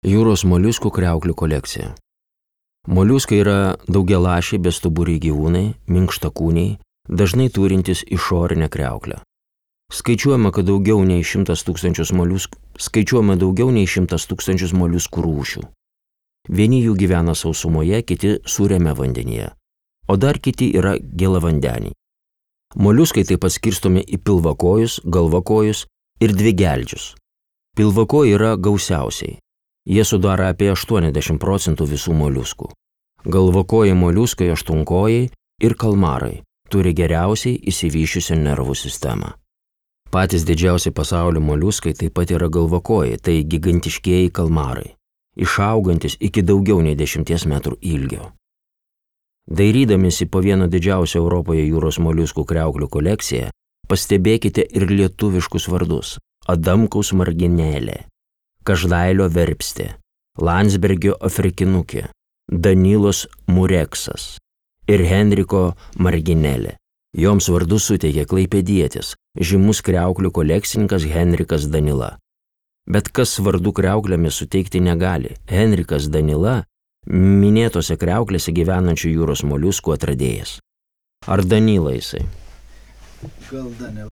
Jūros moliuskų kriauklių kolekcija. Moliuskai yra daugialašiai bestuburiai gyvūnai, minkštakūniai, dažnai turintys išorinę kriauklę. Skaičiuojama daugiau nei 100 000 moliuskų rūšių. Vieni jų gyvena sausumoje, kiti sūriame vandenyje, o dar kiti yra gėlavandeniai. Moliuskai taip pat skirstomi į pilvakojus, galvakojus ir dvigeldžius. Pilvakojai yra gausiausiai. Jie sudaro apie 80% visų moliuskų. Galvakojai moliuskai, aštuonkojai ir kalmarai turi geriausiai išsivysčiusią nervų sistemą. Patys didžiausi pasaulio moliuskai taip pat yra galvakojai, tai gigantiškieji kalmarai, išaugantis iki daugiau nei 10 metrų ilgio. Dairydamiesi po vieną didžiausią Europoje jūros moliuskų kriauklių kolekciją, pastebėkite ir lietuviškus vardus: Adamkaus marginėlė, Každailio verpstė, Landsbergio afrikinukė, Danilos mureksas ir Henriko marginėlė. Joms vardus suteikė klaipėdietis, žymus kriauklių kolekcininkas Henrikas Danila. Bet kas vardų kriauklėmis suteikti negali, Henrikas Danila minėtose kriauklėse gyvenančių jūros moliuskų atradėjas. Ar Danila jisai? Gal Danila.